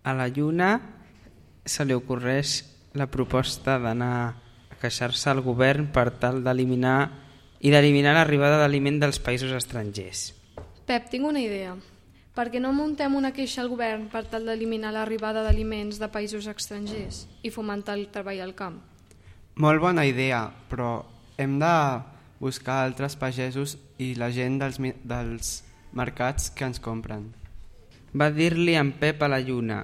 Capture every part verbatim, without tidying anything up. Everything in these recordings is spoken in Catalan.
A la Lluna se li ocorreix la proposta d'anar a queixar-se al govern per tal d'eliminar i d'eliminar l'arribada d'aliment dels països estrangers. Pep, tinc una idea. Per què no muntem una queixa al govern per tal d'eliminar l'arribada d'aliments de països estrangers i fomentar el treball al camp? Molt bona idea, però hem de buscar altres pagesos i la gent dels, dels mercats que ens compren. Va dir-li en Pep a la Lluna.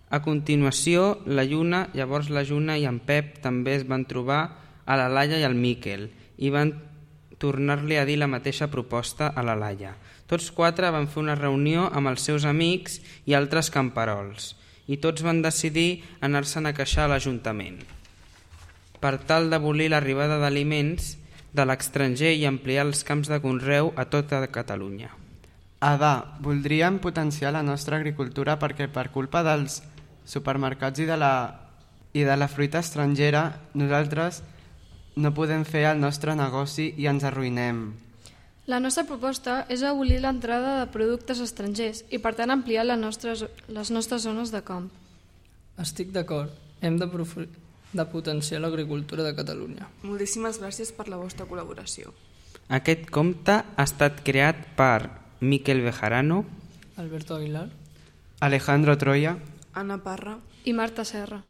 A continuació, la Lluna, llavors la Lluna i en Pep també es van trobar a la Laia i al Miquel i van tornar-li a dir la mateixa proposta a la Laia. Tots quatre van fer una reunió amb els seus amics i altres camperols i tots van decidir anar-se'n a queixar a l'Ajuntament per tal d'abolir l'arribada d'aliments de l'estranger i ampliar els camps de conreu a tota Catalunya. Ada, voldríem potenciar la nostra agricultura perquè per culpa dels supermercats i de la, i de la fruita estrangera nosaltres no podem fer el nostre negoci i ens arruïnem. La nostra proposta és abolir l'entrada de productes estrangers i per tant ampliar les nostres, les nostres zones de camp. Estic d'acord, hem de, de potenciar l'agricultura de Catalunya. Moltíssimes gràcies per la vostra col·laboració. Aquest compte ha estat creat per Miquel Bejarano, Alberto Aguilar, Alejandro Troya, Anna Parra I Marta Serra.